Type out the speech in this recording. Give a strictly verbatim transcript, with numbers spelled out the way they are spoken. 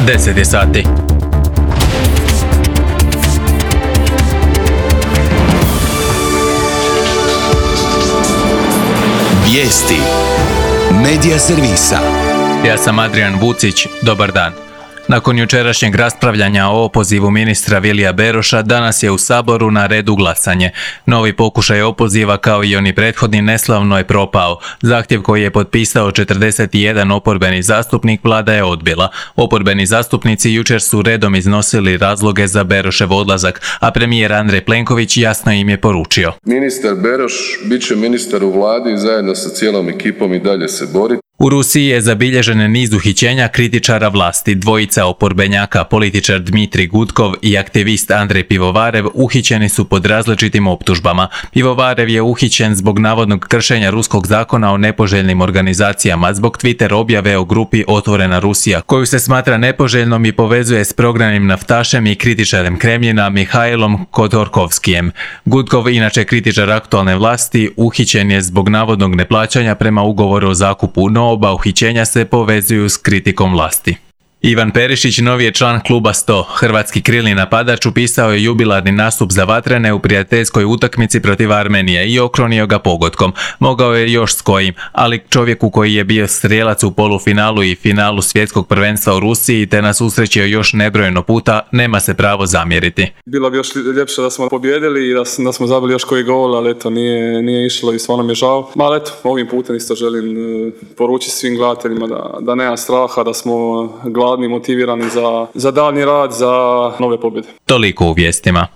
deset je sati. Vijesti Medija servisa. Ja sam Adrian Vucić, dobar dan. Nakon jučerašnjeg raspravljanja o opozivu ministra Vilija Beroša, danas je u Saboru na redu glasanje. Novi pokušaj opoziva, kao i oni prethodni, neslavno je propao. Zahtjev koji je potpisao četrdeset jedan oporbeni zastupnik vlada je odbila. Oporbeni zastupnici jučer su redom iznosili razloge za Berošev odlazak, a premijer Andrej Plenković jasno im je poručio: Ministar Beroš bit će ministar u vladi i zajedno sa cijelom ekipom i dalje se bori. U Rusiji je zabilježen niz uhićenja kritičara vlasti. Dvojica oporbenjaka, političar Dmitrij Gudkov i aktivist Andrej Pivovarev, uhićeni su pod različitim optužbama. Pivovarev je uhićen zbog navodnog kršenja ruskog zakona o nepoželjnim organizacijama, zbog Twitter objave o grupi Otvorena Rusija, koju se smatra nepoželjnom i povezuje s prognanim naftašem i kritičarem Kremljina Mihailom Kodorkovskijem. Gudkov, inače kritičar aktualne vlasti, uhićen je zbog navodnog neplaćanja prema ugovoru o zakupu, no oba uhićenja se povezuju s kritikom vlasti. Ivan Perišić, novi je član kluba sto. Hrvatski krilni napadač upisao je jubilarni nastup za Vatrene u prijateljskoj utakmici protiv Armenije i okronio ga pogodkom. Mogao je još s kojim, ali čovjeku koji je bio strijelac u polufinalu i finalu svjetskog prvenstva u Rusiji te nas usrećio još nebrojeno puta, nema se pravo zamjeriti. Bilo bi još ljepše da smo pobjedili i da, da smo zabili još koji gol, ali eto, nije, nije išlo i stvarno mi je žao. Ali eto, ovim putem isto želim poručiti svim gledateljima da, da nema straha, da smo gladni, motivirani za, za daljnji rad, za nove pobjede. Toliko u vijestima.